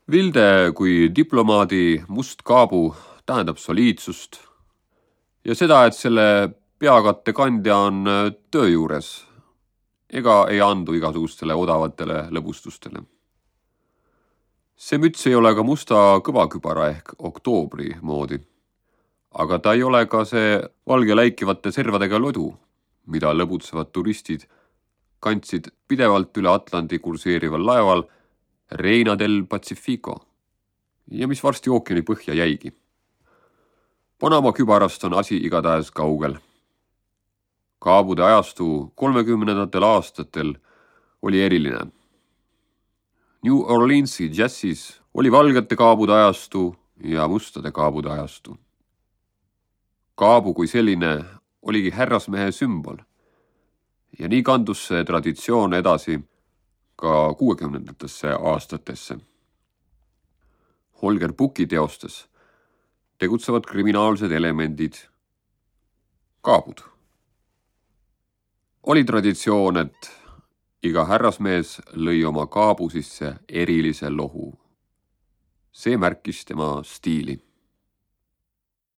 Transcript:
Vilde kui diplomaadi must kaabu tähendab soliidsust ja seda, et selle peakatte kandja on töö juures ega ei andu igasugustele odavatele lõbustustele. See müts ei ole ka musta kõvakübara ehk oktoobri moodi, aga ta ei ole ka see valge läikivate servadega lodu, mida lõbutsevad turistid kandsid pidevalt üle Atlandi kurseerival laeval Reina del Pacifico ja mis varsti ookeani põhja jäigi. Panama kübarast on asi igatahes kaugel. Kaabude ajastu 30. aastatel oli eriline. New Orleansi džässis oli valgete kaabude ajastu ja mustade kaabude ajastu. Kaabu kui selline oligi härrasmehe sümbol ja nii kandus see traditsioon edasi ka 60. aastatesse. Holger Bucki teostes tegutsevad kriminaalsed elemendid, kaabud. Oli traditsioon, et iga härrasmees lõi oma kaabu sisse erilise lohu. See märkis tema stiili.